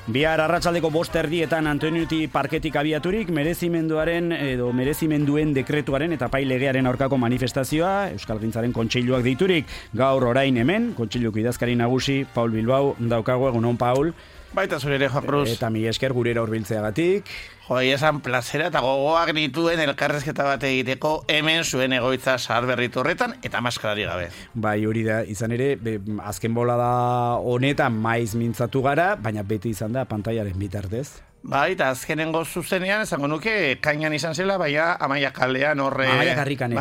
Bihar arratsaldeko 5:00 Antoinuti parketik abiaturik merezimenduaren edo merezimenduen dekretuaren eta pailegearen aurkako manifestazioa Euskalgintzaren kontseiluak deiturik. Gaur orain hemen kontseiluko idazkari nagusi Paul Bilbao daukagu. Egunon, Paul. Baita zure ere, Juan Cruz. Eta mila esker gurera hurbiltzeagatik. Esan plazera eta gogoak nituen elkarrezketa bat egiteko hemen zuen egoitza zaharberritu horretan eta maskarari gabe. Bai, hori da, izan ere, azken bolada honetan maiz mintzatu gara, baina beti izan da pantailaren bitartez. Bai, eta azkenengo zuzenean, esango nuke, kainan izan zela, baina Amaia kalean horre... Amaia karrikan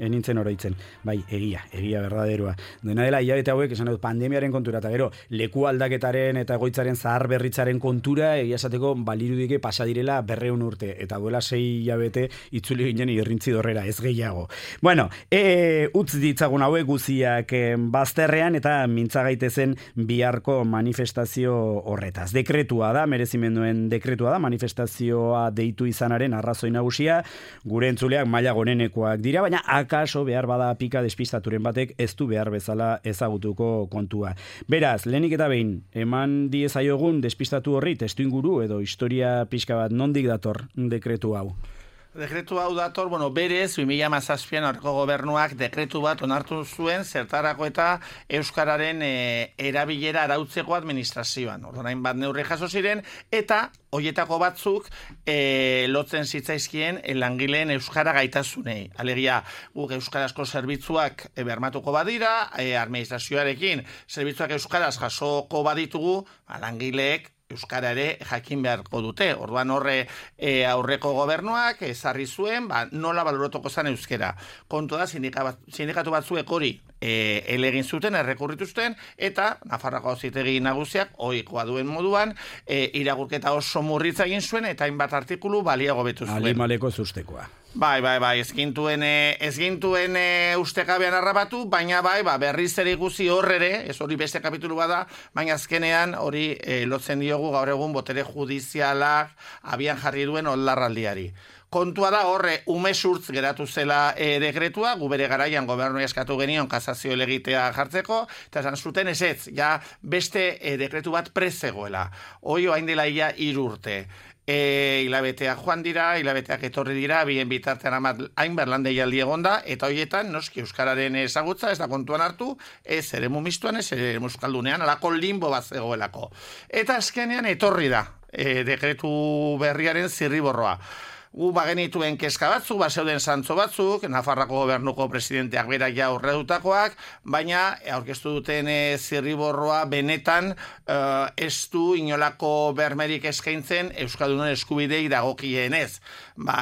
enintzen oroitzen. Bai, egia berdaderoa. Dena dela, hilabete hauek, esan dut, pandemiaren kontura, eta gero, leku aldaketaren eta egoitzaren zahar berritzaren kontura, egia esateko, balirudike pasadirela 200 urte, eta duela 6 hilabete itzuli ginen irrintzi dorrera, ez gehiago. Bueno, utz ditzagun hauek guziak bazterrean, eta mintzagaitezen biharko manifestazio horretaz. Dekretua da, merezimenduen dekretua da, manifestazioa deitu izanaren arrazoi nagusia, gure entzuleak maila gorenekoak dira, baina akaso behar bada pika despistaturen batek ez du behar bezala ezagutuko kontua. Beraz, lehenik eta behin, eman diezaiogun despistatu horri testuinguru edo historia pixka bat nondik dator dekretu hau? Dekretu hau dator, berez, 2017an aurreko gobernuak dekretu bat onartu zuen zertarako eta euskararen erabilera arautzeko administrazioan. Orduan bat neurri jaso ziren eta hoietako batzuk lotzen zitzaizkien langileen euskara gaitasunei. Alegia, guk euskarazko zerbitzuak bermatuko badira, administrazioarekin zerbitzuak euskaraz jasoko baditugu, langileek euskara ere jakin beharko dute. Orduan horre aurreko gobernuak ezarri zuen, nola baloratuko zen euskera. Kontu da, sindikatu batzuek hori elegin zuten, errekurrituzten, eta Nafarroako Auzitegi Nagusiak ohikoa duen moduan irakurketa oso murritza egin zuen, eta hainbat artikulu baliago betu zuen. Alimaleko zustekoa. Bai, ez gintuen ustekabean harrapatu, baina berriz ere ikusi horrere, ez hori beste kapitulu bada, baina azkenean hori lotzen diogu gaur egun botere judizialak abian jarri duen oldarraldiari. Kontua da horre umesurtz geratu zela dekretua, gu bere garaian gobernu eskatu genion kasazio elegitea jartzeko, eta esan zuten ez, ja beste dekretu bat prezegoela. Hoi oain dela ia 3 urte. Hilabeteak joan dira, hilabeteak etorri dira, bien bitartean hainbat lan deialdi egonda, eta horietan noski euskararen ezagutza ez da kontuan hartu, ez eremu mistuan, ez eremu euskaldunean, alako limbo bat zegoelako. Eta azkenean etorri da dekretu berriaren zirriborroa. Gu bagenituen kezka batzuk, bazeuden zantzo batzuk, Nafarroako gobernuko presidenteak bera ja aurredutakoak, baina aurkeztu duten zirriborroa benetan ez du inolako bermerik eskaintzen Euskaldunen eskubidei dagokienez.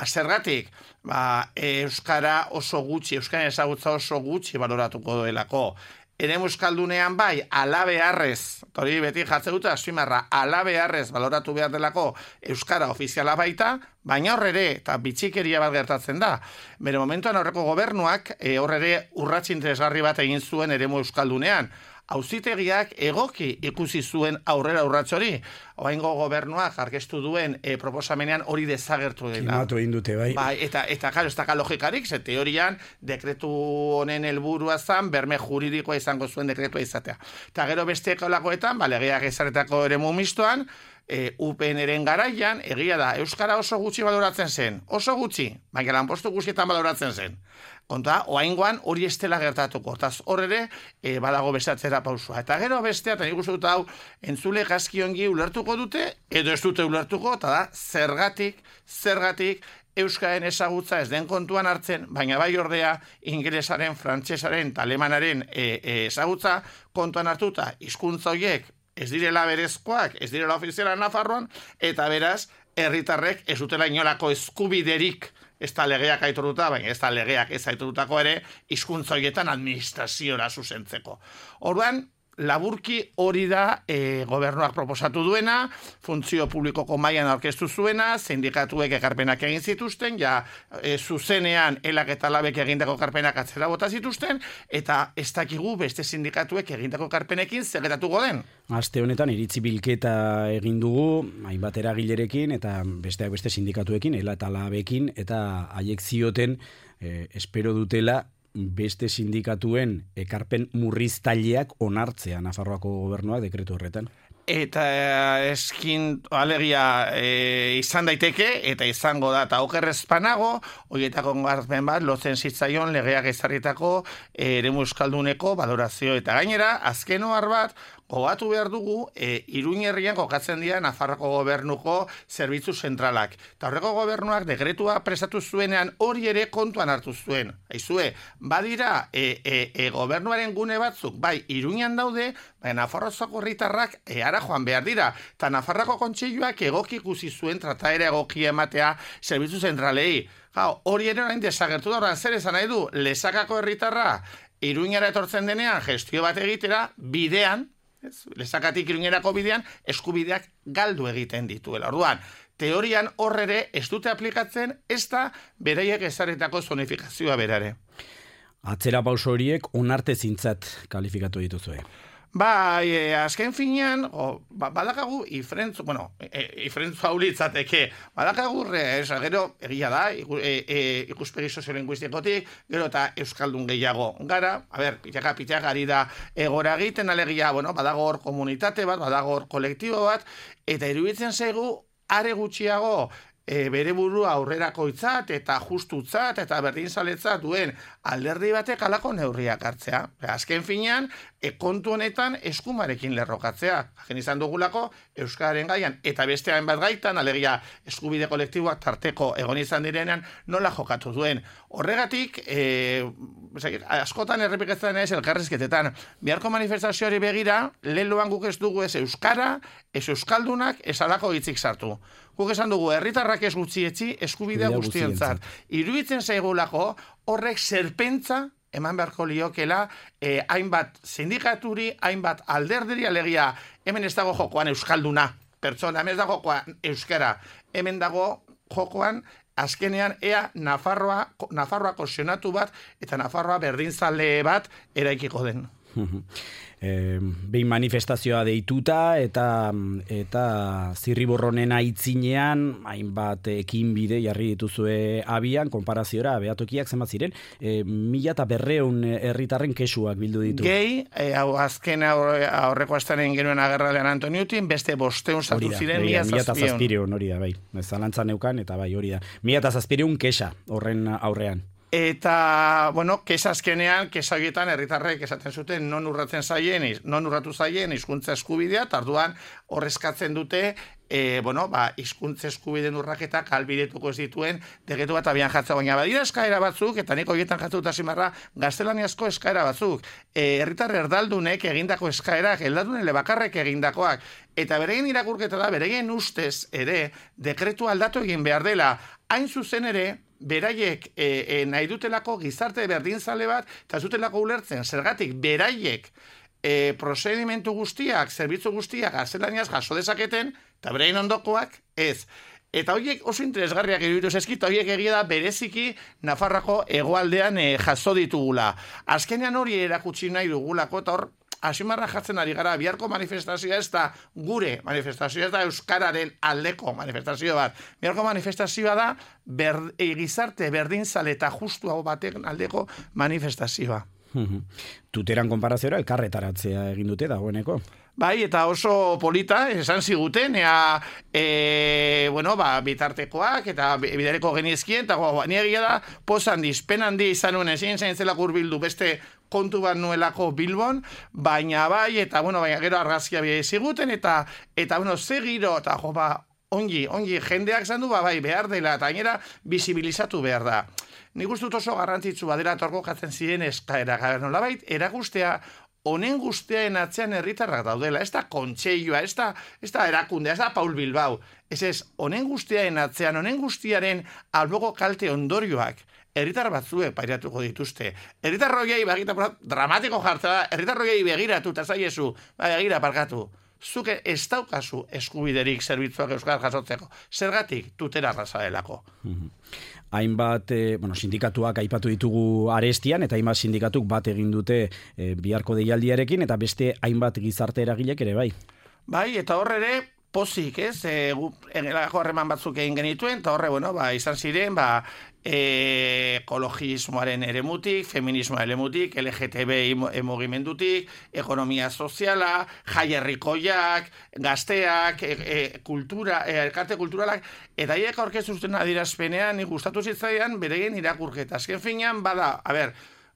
Zergatik, euskara oso gutxi, euskaren ezagutza oso gutxi baloratuko duelako. Eremu euskaldunean alabeharrez, hori beti jartzen dute azpimarra, alabeharrez baloratu behar delako euskara ofiziala baita, baina horrere, eta bitxikeria bat gertatzen da. Bere momentuan aurreko gobernuak horrere urrats interesgarri bat egin zuen eremu euskaldunean. Auzitegiak egoki ikusi zuen aurrera urrats hori. Oraingo gobernuak aurkeztu duen proposamenean hori desagertu dela. Kimatu egin dute, bai. Eta claro, ez da logikarik, ze teorian dekretu honen helburua zen berme juridikoa izango zuen dekretua izatea. Eta gero beste kolakoetan, legeak ezarretako eremu mistoan, UPN-eren garaian, egia da, euskara oso gutxi baloratzen zen. Oso gutxi, baina lanpostu guztietan baloratzen zen. Konta, oaingoan hori estela gertatuko. Taz horre badago beste atzera pausua. Eta gero bestea, eta nik uste dut hau, entzule gaskiongi ulertuko dute, edo ez dute ulertuko, eta da, zergatik, euskaren ezagutza ez den kontuan hartzen, baina bai ordea, ingelesaren, frantsesaren, eta alemanaren ezagutza kontuan hartuta, hizkuntza horiek ez direla berezkoak, ez direla ofiziala Nafarroan, eta beraz, herritarrek ez dutela inolako eskubiderik, ez da legeak aitortuta, baina ez da legeak ez aitortutako ere, hizkuntza horietan administraziora zuzentzeko. Orduan, laburki hori da gobernuak proposatu duena, funtzio publikoko mailan aurkeztu zuena, sindikatuek ekarpenak egin zituzten, zuzenean elak eta labek egindako ekarpenak atzera bota zituzten, eta ez dakigu beste sindikatuek egindako ekarpenekin zer gertatuko den. Aste honetan iritzi bilketa egin dugu, hainbat eragilerekin eta besteak beste sindikatuekin, ela eta labekin, eta haiek zioten espero dutela beste sindikatuen ekarpen murriztaileak onartzea Nafarroako gobernuak dekretu horretan. eta alegia izan daiteke, eta izango da, eta okerrezpanago, horietako garpen bat, lotzen zitzaion legeak ezarritako eremu euskalduneko valorazio, eta gainera, azken ohar bat, gogatu behar dugu, Iruin herrian kokatzen dira Nafarroko gobernuko zerbitzu zentralak. Eta horreko gobernuak dekretua prestatu zuenean hori ere kontuan hartu zuen. Aizue, badira gobernuaren gune batzuk, bai, Iruinan daude, bai, Nafarrozako herritarrak ara joan behar dira. Eta Nafarroko kontseiluak egoki ikusi zuen trataera egokia ematea zerbitzu zentralei. Hori ere orain desagertu da, orain zer esan nahi du, Lesakako herritarra Iruinara etortzen denean gestio bat egitera, bidean, Lesakatik Iruñerako bidean eskubideak galdu egiten dituela. Orduan, teorian horrere ez dute aplikatzen, ez da beraiek ezarritako zonifikazioa berare. Atzera pauso horiek onartezintzat kalifikatu dituzue. Bai, azken finean, badakagu ifrentzu, ifrentzu haulitzateke, badakagu, gero, egia da, ikuspegi soziolinguistikotik, gero eta euskaldun gehiago gara, pitaka ari da egora egiten, alegia, badago hor komunitate bat, badago hor kolektibo bat, eta iruditzen zaigu, are gutxiago, bere burua aurrerakoitzat eta justutzat eta berdinzaletzat duen alderdi batek halako neurriak hartzea. Azken finean, kontu honetan eskumarekin lerrokatzea. Jakin izan dugulako euskararen gaian eta beste hainbat gaitan, alegia eskubide kolektiboak tarteko egon izan direnean nola jokatu duen. Horregatik, askotan errepikatzen ez elkarrizketetan, biharko manifestazioari begira, lehenloan guk ez dugu ez euskara, ez euskaldunak, ez alako hitzik sartu. Guk esan dugu, herritarrak ez gutxietzi, eskubidea guztientzat. Iruditzen zaigulako, horrek serpentza eman beharko liokela, hainbat sindikaturi, hainbat alderdiri, alegia, hemen ez dago jokoan euskalduna, pertsona, hemen ez dago jokoan euskara, hemen dago jokoan, azkenean, ea Nafarroako senatu bat, eta Nafarroa berdinzale bat eraikiko den. Behin manifestazioa deituta eta zirriborronen aitzinean hainbat ekinbide jarri dituzue abian, konparaziora behatokiak zenbat ziren, 1.200 herritarren kexuak bildu ditu. Gehi, azken aurreko astearen genuen agerralean Antoniutin, beste 500 sartu ziren 1.700 hori da, bai. Zalantzan neukan, eta bai, hori da. 1.700 kexa horren aurrean. Eta, kesa azkenean, kesa horietan herritarrek esaten zuten non urratu zaien hizkuntza eskubidea, tarduan horrezkatzen dute, hizkuntza eskubideen urraketak albidetuko ez dituen dekretu bat abian jartzea, baina badira eskaera batzuk, eta nik horietan jartu zimarra, gaztelaniazko eskaera batzuk, herritar erdaldunek egindako eskaerak, erdaldunen lebakarrek egindakoak, eta beregin irakurketa da, beregin ustez ere, dekretu aldatu egin behar dela, hain zuzen ere, beraiek nahi dutelako gizarte berdinzale bat, eta zutelako ulertzen, zergatik beraiek prozedimentu guztiak, zerbitzu guztiak, gaztelaniaz jaso dezaketen, eta beraien ondokoak ez. Eta horiek oso interesgarriak iruditu zaizkit, horiek egia da bereziki Nafarroako hegoaldean jaso ditugula. Azkenean hori erakutsi nahi dugulako, eta hor, asimarra jartzen ari gara, biharko manifestazioa ez da gure manifestazioa, ez da euskararen aldeko manifestazioa bat. Biharko manifestazioa da gizarte berdinzale eta justuago baten aldeko manifestazioa. Tuteran konparaziora elkarretaratzea egin dute dagoeneko. Bai, eta oso polita, esan ziguten, bitartekoak, eta bidareko genizkien, eta niegia da, pozan pen handi izan nuen, ezin zelako urbildu beste kontu bat nuelako Bilbon, baina bai, eta gero argazkia bia ziguten, eta ze giro, eta ongi, jendeak zandu, bai, behar dela, eta gainera bizibilizatu behar da. Nik uste dut oso garrantzitsu badera torko jatzen ziren eskaera, nolabait, erakustea, honen guztiaen atzean herritarrak daudela, ez da kontseilua, ez da erakundea, ez da Paul Bilbao, ez, honen guztiaen atzean, honen guztiaren alboko kalte ondorioak, herritar batzuek pairatuko dituzte. Herritar roiei, dramatiko jartza da, herritar roiei begiratu, eta zaiezu, begira parkatu. Zuke ez daukazu eskubiderik zerbitzuak euskal jasotzeko. Zergatik tutera razadelako. Hainbat, sindikatuak aipatu ditugu arestian, eta hainbat sindikatuk bat egin dute biharko deialdiarekin, eta beste hainbat gizarte eragilek ere bai. Bai, eta horre ere, pozik, ez? Engelako harreman batzuk egin genituen, eta horre, izan ziren, ekologismoaren eremutik, feminismoaren eremutik, LGTB mugimendutik, ekonomia soziala, jaierrikoiak, gazteak, elkarte kulturalak, eta hiek aurkeztu zuten adierazpenean, nik gustatu zitzaidan, beregin irakurketa. Azken finean,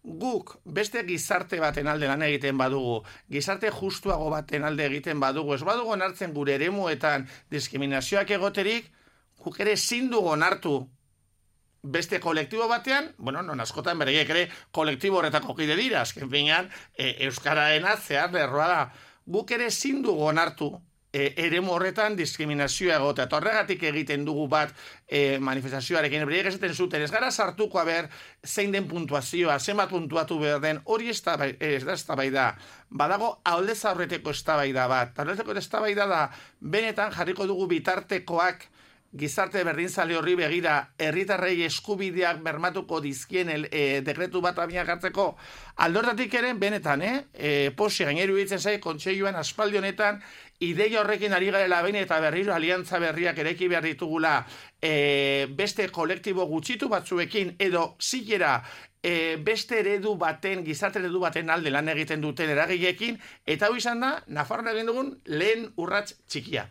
guk beste gizarte baten alde lan egiten badugu, gizarte justuago baten alde egiten badugu, ez badugu onartzen gure eremuetan diskriminazioak egoterik, guk ere ezin dugu onartu beste kolektibo batean, non askotan bereiek ere kolektibo horretako kide dira, azken finean, euskaraena zehar lerroa da. Guk ere ezin dugu onartu eremu horretan diskriminazioa egotea. Eta horregatik egiten dugu bat manifestazioarekin, bereiek esaten zuten, ez gara sartuko zein den puntuazioa, zenbat puntuatu behar den, hori ez da eztabaida. Badago aldez aurreteko eztabaida bat. Aldezeko eztabaida da, benetan jarriko dugu bitartekoak gizarte berdinzale horri begira, herritarrei eskubideak bermatuko dizkien dekretu bat abian jartzeko, aldortatik ere, benetan, posi gaineru hitzen zai, kontseiluan aspaldi honetan, ideia horrekin ari garela behin eta berriro aliantza berriak eraiki behar ditugula beste kolektibo gutxitu batzuekin, edo zilera beste eredu baten, gizarte eredu baten alde lan egiten duten eragileekin, eta hau izan da, Nafarroan egin dugun lehen urrats txikia.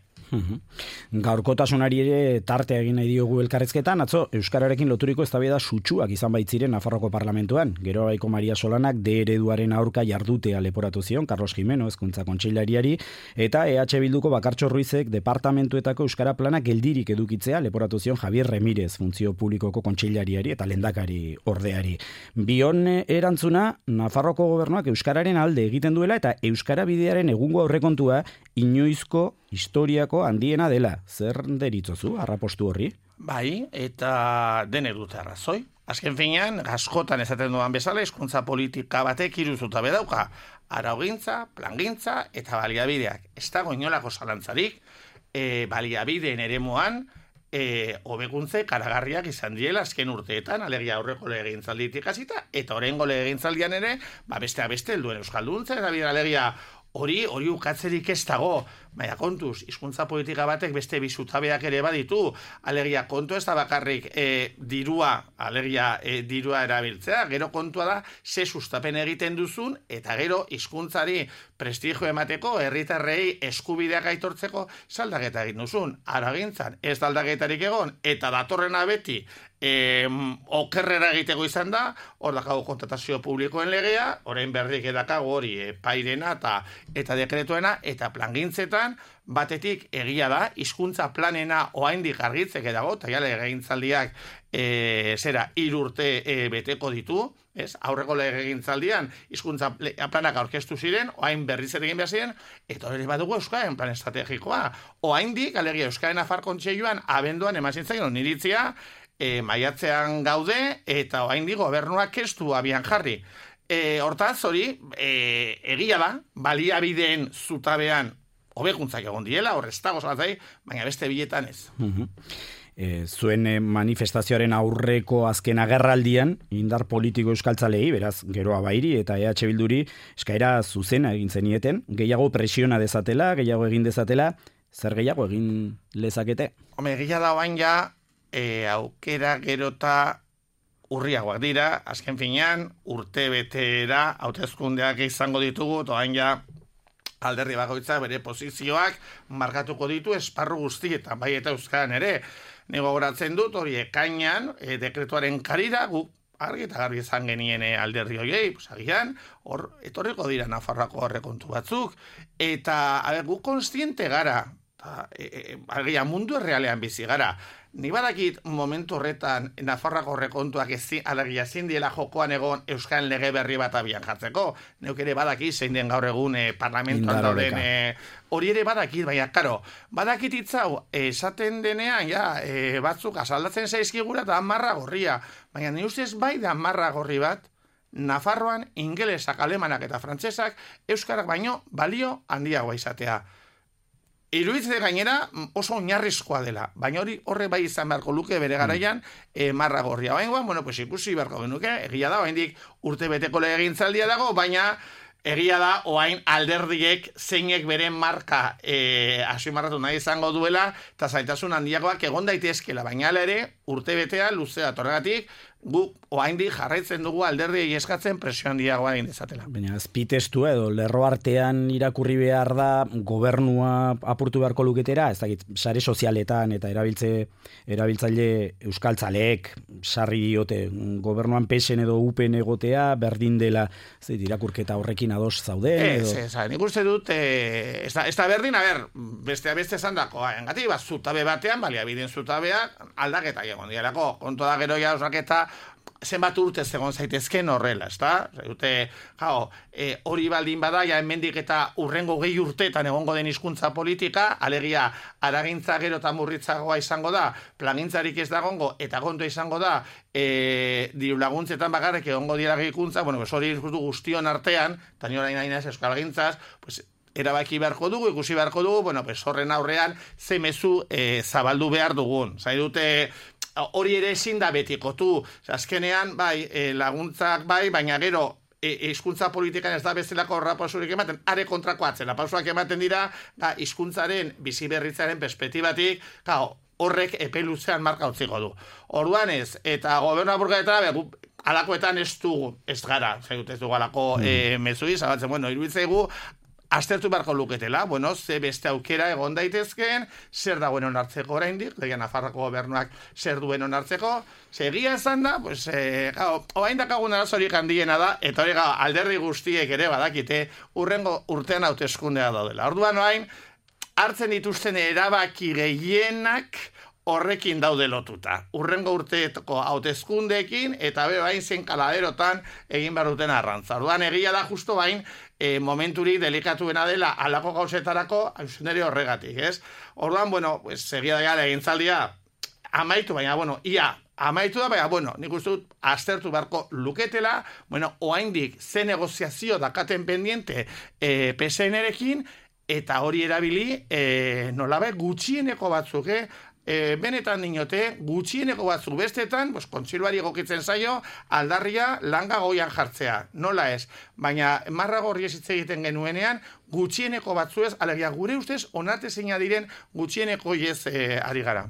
Gaurkotasunari ere tartea egin nahi diogu elkarrezketan, atzo euskararekin loturiko eztabaida sutsuak izan baitziren Nafarroko parlamentuan. Gero Baiko Maria Solanak D ereduaren aurka jardutea leporatu zion Carlos Jimeno Hezkuntza Kontseilariari, eta EH Bilduko Bakartxo Ruizek departamentuetako euskara plana geldirik edukitzea leporatu zion Javier Remírez Funtzio Publikoko Kontseilariari eta lehendakari ordeari. Bion erantzuna, Nafarroko gobernuak euskararen alde egiten duela eta euskara bidearen egungo aurrekontua inoizko historiako handiena dela. Zer deritzozu, arrapostu horri? Bai, eta dene dute arrazoi. Azken finean, askotan esaten duan bezala, hizkuntza politika batek hiru zutabe dauka. Araugintza, plangintza eta baliabideak. Ez dago inolako zalantzarik, baliabideen eremuan, hobekuntze karagarriak izan diela azken urteetan, alegia aurreko legegintzalditik hasita, eta oraingo legegintzaldian ere, besteak beste helduen euskalduntza, eta bide alegia hori ukatzerik ez dago, baina kontuz, hizkuntza politika batek beste bi zutabeak ere baditu, alegia kontu ez da bakarrik dirua erabiltzea, gero kontua da, ze sustapen egiten duzun, eta gero hizkuntzari prestigio emateko, herritarrei eskubideak aitortzeko, zaldaketa egin duzun. Aragintzan ez da aldaketarik egon, eta datorrena beti, okerrera egiteko izan da, hor dakago kontratazio publikoen legea, orain berrik edakago hori pairena eta dekretuena, eta plangintzetan, batetik egia da, hizkuntza planena oraindik argitzeke dago, eta jale legegintzaldiak 3 urte beteko ditu, ez? Aurreko legegintzaldian hizkuntza planak aurkeztu ziren, orain berriz ere egin behar ziren, eta hori badugu euskaren plan estrategikoa. Oraindik, alegia Euskaren Nafar Kontseiluan abenduan eman zitzaion oniritzia, maiatzean gaude, eta oraindik gobernuak ez du abian jarri. Hortaz, hori, egia da, baliabideen zutabean hobekuntzak egon diela, hor ez dago zalatzai, baina beste biletan ez. Zuen manifestazioaren aurreko azken agerraldian, indar politiko euskaltzalei, beraz, Geroa Bairi eta EH Bilduri eskaera zuzena egin zenieten, gehiago presiona dezatela, gehiago egin dezatela, zer gehiago egin lezakete? Egia da oain ja, aukera gerota urriagoak dira, azken finean, urte betera, hauteskundeak izango ditugu, eta oain ja, alderdi bakoitza bere posizioak markatuko ditu esparru guztietan, bai eta euskaran ere. Nego goratzen dut, hori ekainan, dekretuaren karira, guk argi eta garbi izan genien alderdi horiei, agian, hor, etorriko dira Nafarroako aurrekontu batzuk, eta, guk konstiente gara, agian mundu errealean bizi gara. Ni badakit momentu horretan Nafarroako aurrekontuak alegia ezin diela jokoan egon euskal lege berri bat abian jartzeko. Neuk ere badakit zein den gaur egun parlamentuan dauden hori ere badakit, baina karo, badakit hitzau esaten denean batzuk asaldatzen zaizkigura eta marra gorria, baina ni ustez bai da marra gorri bat Nafarroan ingelesak, alemanak eta frantsesak euskarak baino balio handiagoa izatea. Iruditzen gainera oso oinarrizkoa dela, baina horre bai izan beharko luke bere garaian marra gorria. Baina, ikusi beharko genuke, egia da, oraindik urte beteko legegintzaldia dago, baina egia da, oain alderdiek zeinek beren marka asimarratu nahi izango duela, eta zaitasun handiagoak egon daitezkela, baina ere urte betea luzea torregatik, guk oaindik jarraitzen dugu alderdiei eskatzen presio handiagoa egin dezatela. Baina azpitestua edo lerro artean irakurri behar da gobernua apurtu beharko luketera, ez dakit, sare sozialetan eta erabiltzaile euskaltzaleek sarri diote gobernuan PSN edo UPN egotea, berdin dela irakurketa horrekin ados zauden edo... nik uste dut, ez da berdin, beste esan dako, engati, zutabe batean, baliabideen zutabeak aldaketa egon dialako, kontu da gero ja osaketa zenbat urte egon zaitezken horrela, ezta? Hori baldin bada, ja hemendik eta urrengo 20 urteetan egongo den hizkuntza politika, alegia aragintza gero eta murritzagoa izango da, plangintzarik ez dagongo, eta kontua izango da, diru laguntzetan bakarrik egongo dira gehikuntza, hori guztion artean, eta ni orain nahi euskal gintzaz, erabaki beharko dugu, ikusi beharko dugu, horren aurrean ze mezu zabaldu behar dugun. Zai dute, hori ere ezin da betikotu. Azkenean, laguntzak baina gero, hizkuntza politikan ez da bezalako horrapausurik ematen, are kontrako atzera. Pausuak ematen dira, hizkuntzaren biziberritzaren perspektibatik, horrek epe luzean marka utziko du. Orduan ez, eta gobernua burgaetara, alakoetan ez dugu, ez gara, ez dugu alako mezui, zabatzen, iruditzaigu, aztertu beharko luketela, ze beste aukera egon daitezkeen, zer dagoen onartzeko oraindik, legia Nafarroko gobernuak zer duen onartzeko, segia esan da, oain dakagun arazorik handiena da, eta hori alderdi guztiek ere badakite, urrengo urtean hauteskundea daudela. Orduan oain, hartzen dituzten erabaki gehienak horrekin daude lotuta. Urrengo urteetako hauteskundeekin eta bain zen kaladerotan egin behar duten arrantza. Orduan egia da justo bain momenturik delikatuena dela alako gauzetarako hauzuneri horregatik, ez? Orduan, egia da egintzaldia amaitu, baina, ia amaitu da, baina, nik uste dut aztertu beharko luketela, oaindik ze negoziazio dakaten pendiente PSN-erekin, eta hori erabili nolabe gutxieneko batzuk, benetan dinote, gutxieneko batzuk bestetan, kontzilbari egokitzen zaio, aldarria langa goian jartzea. Nola ez? Baina, marra gorri ez hitz egiten genuenean, gutxieneko batzu ez, alegia gure ustez, onartezina diren gutxieneko ez ari gara.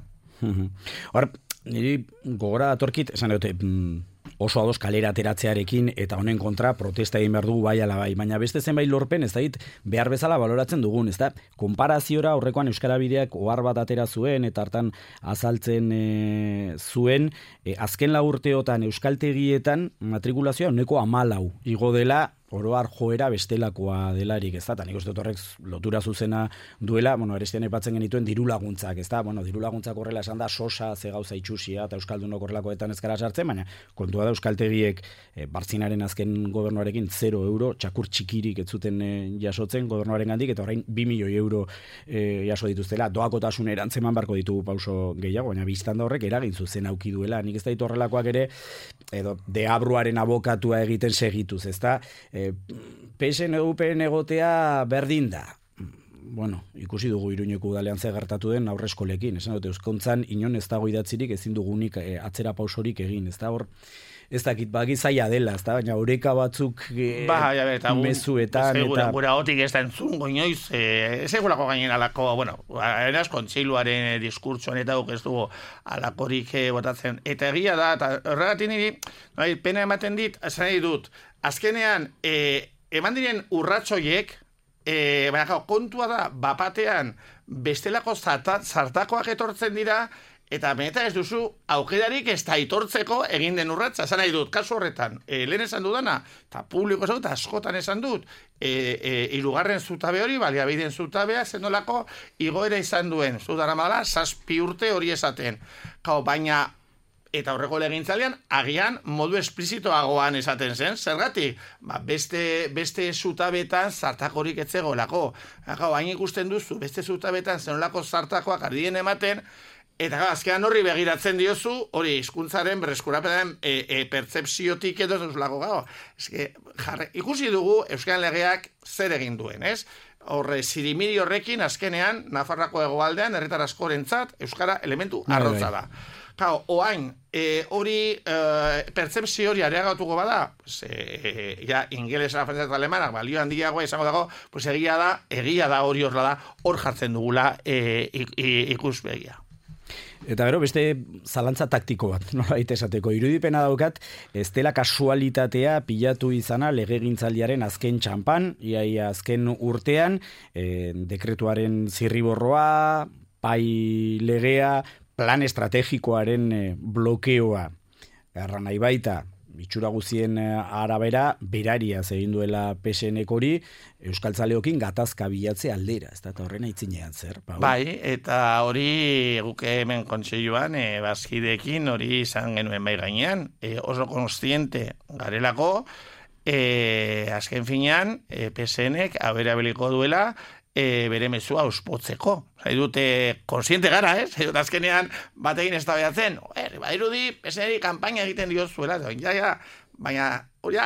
Hor, niri gogora datorkit, esan dute, oso ados kalera ateratzearekin eta honen kontra protesta egin behar dugu bai ala bai, baina beste zenbait lorpen ez dait behar bezala baloratzen dugun, ez da? Konparaziora horrekoan Euskara Bideak ohar bat atera zuen eta hartan azaltzen zuen, azken 4 urteotan euskaltegietan matrikulazioa 14% igo dela, oroar joera bestelakoa delarik, ez da, eta nik uste dut horrek lotura zuzena duela, arestian aipatzen genituen diru laguntzak, ez da, diru laguntzak horrela esan da, sosa, ze gauza itxusia, eta euskaldunok horrelakoetan ez gara sartzen, baina kontua da euskaltegiek Bartzinaren azken gobernuarekin 0 euro, txakur txikirik ez zuten jasotzen gobernuaren gandik, eta orain 2 milioi euro jaso dituztela, doakotasun erantzeman barko ditugu pauso gehiago, baina biztan da horrek eragin zuzen auki duela, nik ez da ditu horrelakoak ere, edo deabruaren abokatua egiten segituz, ez da, PSN UPN egotea berdin da. Ikusi dugu Iruñeko udalean ze gertatu den aurreskolekin. Esan dute, euskontzan inon ez dago idatzirik ezin dugunik atzera pausorik egin. Ez da hor, ez dakit bagi zaila dela, ez da, baina oreka batzuk mezuetan. Gura gotik ez da entzungo inoiz, ez egulako gainen alako, eraz kontseiluaren diskurtsoan eta ez dugu alakorik botatzen. Eta egia da, eta horregatik niri, pena ematen dit, esan nahi dut, azkenean, eman diren urratxoiek, baina kontua da, bapatean, bestelako zartakoak etortzen dira, eta benetan ez duzu aukerarik ez da itortzeko egin den urratza. Esan nahi dut, kasu horretan, lehen esan dudana, eta publiko esan dut, askotan esan dut, hirugarren zutabe hori, baliabideen zutabea, zenolako igoera izan duen, zudara mala, 7 urte hori esaten. Baina, eta horreko legintzalean, agian modu esplizitoagoan esaten zen, zergatik? Beste zutabetan zartakorik ez zegoelako. Hain ikusten duzu, beste zutabetan zenolako zartakoak ardien ematen, eta azkenan horri begiratzen diozu, hori hizkuntzaren berreskurapenaren pertzepziotik edo zuzulako ikusi dugu Euskal Legeak zer egin duen, ez? Horre, zirimiri horrekin azkenean, Nafarrako hegoaldean, herritar askorentzat, Euskara elementu arrotza da. Claro, oain, hori pertzepzio hori areagatuko bada, ja, ingelesa, frantzesa eta alemanak, balio handiagoa izango dago, pues egia da hori horla da, hor jartzen dugula ikuspegia. Eta gero, beste zalantza taktiko bat, nolabait esateko. Irudipena daukat, ez dela kasualitatea pilatu izana legegintzaldiaren azken txanpan, iaia azken urtean, dekretuaren zirriborroa, pai legea, plan estrategikoaren blokeoa. Erra nahi baita, itxura guzien arabera, berariaz egin duela PSN-ek hori, euskaltzaleokin gatazka bilatze aldera, ez da, eta horrena itzinean zer. Bai, eta hori guke hemen kontseiluan, bazkideekin hori izan genuen bai gainean, oso konstiente garelako, azken finean, PSN-ek aberabiliko duela, bere mezua auspotzeko. Dute, konsiente gara, dut azkenean batekin ez da behatzen, badirudi, PSN-eri kanpaina egiten diozuela, baina, hori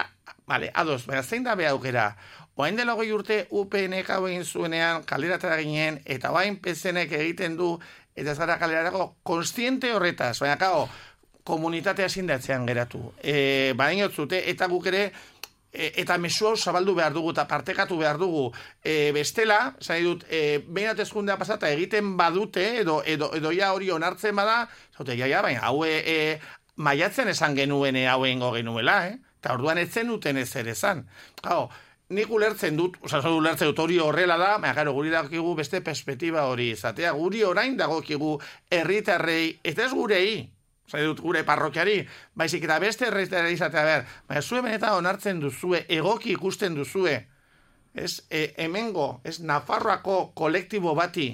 vale, ados, baina zein da beha aukera, oain dela 20 urte UPN-ek hau egin zuenean, kaleratara ginen, eta bain PSN-ek egiten du, eta ez gara kalerarako, konstiente horretaz, baina kao, komunitatea zindatzean geratu. Bainotzute, eta guk ere, eta mezu hau zabaldu behar dugu eta partekatu behar dugu bestela, zai dut, behin atezkundea pasata egiten badute edo ja hori onartzen bada, zaute, baina hau maiatzen esan genuen hau egingo genuela, eta orduan etzen duten ez ere esan. Nik ulertzen dut hori horrela da, baina guri dagokigu beste perspektiba hori izatea, guri orain dagokigu herritarrei, eta ez gurei, dut gure parrokiari, baizik eta beste herritarrei izatea, baina zue benetan onartzen duzue, egoki ikusten duzue, hemengo, Nafarroako kolektibo bati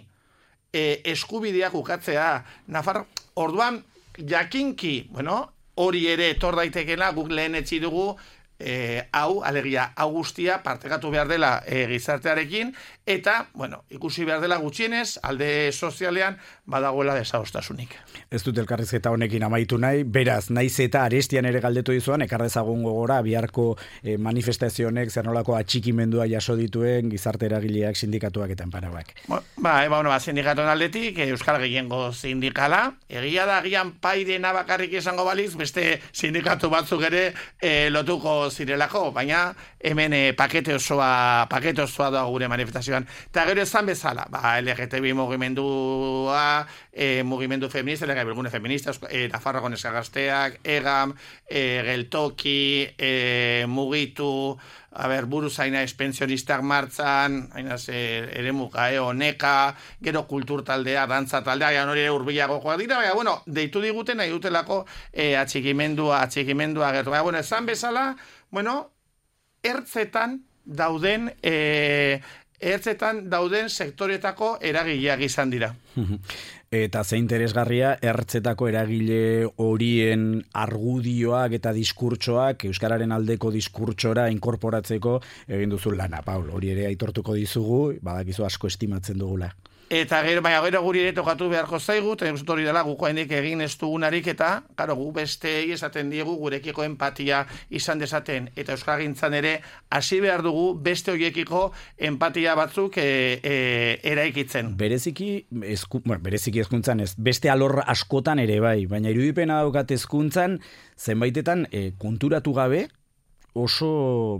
eskubideak ukatzea, orduan jakinki, hori ere etor daitekela, guk lehen etzi dugu, alegia, hau guztia partekatu behar dela gizartearekin, eta, ikusi behar dela gutxienez, alde sozialean badagoela desadostasunik. Ez dut elkarrizketa honekin amaitu nahi, beraz, naiz eta arestian ere galdetu dizuan, ekardezagun gogora, biharko manifestazionek zer nolako atxikimendua jaso dituen gizarte eragileak, sindikatuak eta enparauak. Sindikatuen aldetik, Euskal Gehiengo sindikala, egia da, agian paidena bakarrik izango baliz, beste sindikatu batzuk ere lotuko zirelako, baina hemen pakete osoa da gure manifestazioan. Eta gero esan bezala, LGTB mugimendua, mugimendu feminista, bilgune feminista, Nafarroako neska gazteak, EGAM, geltoki, mugitu, buru zaina pensionistak martzan, eremuka, oneka, gero kulturtaldea, dantza taldea, hori urbilago joa dira, baina, deitu diguten, nahi dutelako atxikimendua gertu. Baina, esan bezala, ertzetan dauden sektoretako eragileak izan dira. Eta ze interesgarria, ertzetako eragile horien argudioak eta diskurtsoak euskararen aldeko diskurtsora inkorporatzeko egin duzu lana, Paul. Hori ere aitortuko dizugu, badakizu asko estimatzen dugula. Eta gero guri ere tokatu beharko zaigu, eta hori dela guko hendik egin ez dugunarik, eta gu bestei esaten diegu gurekiko empatia izan dezaten, eta euskalgintzan ere hasi behar dugu beste horiekiko empatia batzuk eraikitzen. Bereziki hezkuntzan ez, beste alor askotan ere bai, baina irudipena daukat hezkuntzan zenbaitetan konturatu gabe, oso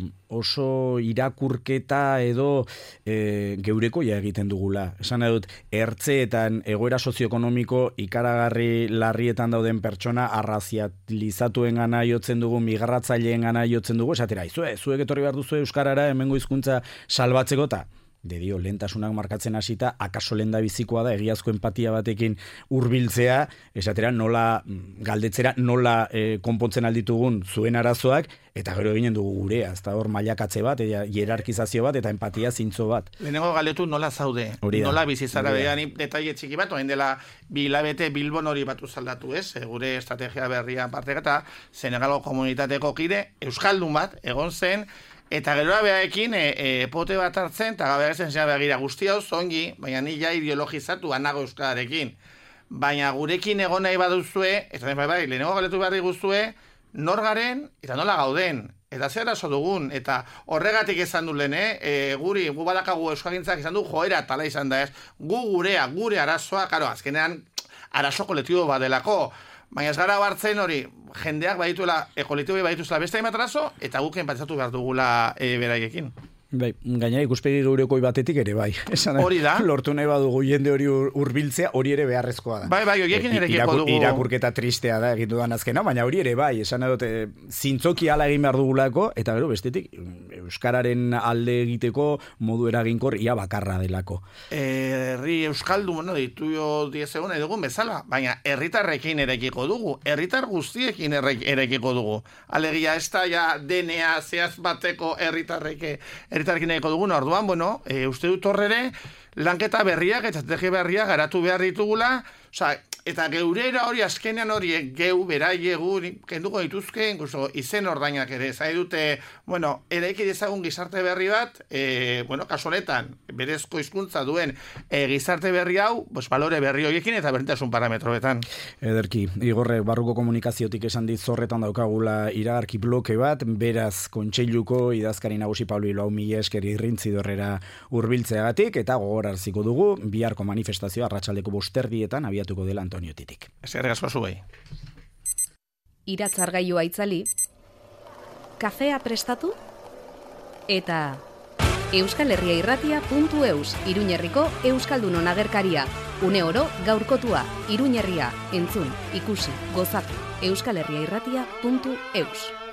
irakurketa edo geurekoia egiten dugula. Esan dut, ertzeetan egoera sozioekonomiko ikaragarri larrietan dauden pertsona arrazializatuen gana jotzen dugu, migratzaileen gana jotzen dugu, esatera, zuek etorri behar duzu euskarara hemengo hizkuntza salbatzeko eta lehentasunak markatzen hasita, akaso lenda bizikoa da, egiazko empatia batekin hurbiltzea, esatera, galdetzera, nola konpontzen alditugun zuen arazoak, eta gero eginen dugu gurea, ez da hor mailakatze bat, hierarkizazio bat, eta empatia zintzo bat. Lehenengo galdetu nola zaude, nola bizizara behan, detaile txiki bat, oen dela bilabete Bilbon hori batu zaldatu, gure estrategia berria partek eta Senegalgo komunitateko kide, euskaldun bat, egon zen, eta gero behaekin pote bat hartzen, eta gabe ezen zen begira guztia zongi, baina ni ja ideologizatu anago euskararekin. Baina gurekin egon nahi baduzue, eta lehenengo galetu behar diguzue, nor garen eta nola gauden. Eta zer arazo dugun, eta horregatik esan du lehen, gu badakagu euskalgintzak izan du joera tala izan da ez, gure arazoa, azkenean arazo kolektibo badelako, Baina ez gara bartzen hori, jendeak badituela, kolektiboei badituzela beste hainbat arazo, eta guken pentsatu behar dugula beraiekin. Bai, gainera ikuspegi geurekoi batetik ere bai. Hori da. Lortu nahi badugu jende hori hurbiltzea, hori ere beharrezkoa da. Bai, horiekin erekiko dugu. Irakurketa tristea da egin dudan azkena, baina hori ere bai, esan dut zintzoki ala egin behar dugulako, eta gero bestetik euskararen alde egiteko modu eraginkor ia bakarra delako. Herri euskaldu, ditu jo diezegun edugun bezala, baina herritarrekin erekiko dugu, herritar guztiekin erekiko dugu. Alegia ez da ja DNA zehaz bateko herritarrekin egiko dugun, orduan, uste dut horrere, lanketa berriak eta estrategia berriak garatu behar ditugula, eta geurera hori azkenean horiek geu, beraiegu, kenduko dituzke, incluso izen ordainak ere, zai dute, eraiki dezagun gizarte berri bat, kasu honetan, berezko hizkuntza duen gizarte berri hau, balore berri horiekin eta berdintasun parametroetan. Ederki, Igorre, barruko komunikaziotik esan dit zorretan daukagula iragarki bloke bat, beraz kontseiluko idazkari nagusi Pablo Ilau mila esker irrintzi dorrera hurbiltzeagatik, eta gogoraraziko dugu, biharko manifestazioa arratsaldeko 5:00 abiatuko dela Antoniotitik. Eskerrik asko zuei. Iratzargailua itzali, kafea prestatu, eta euskalherriairratia.eus, Iruñerriko Euskaldunon agerkaria. Une oro gaurkotua, Iruñerria, entzun, ikusi, gozatu, euskalherriairratia.eus.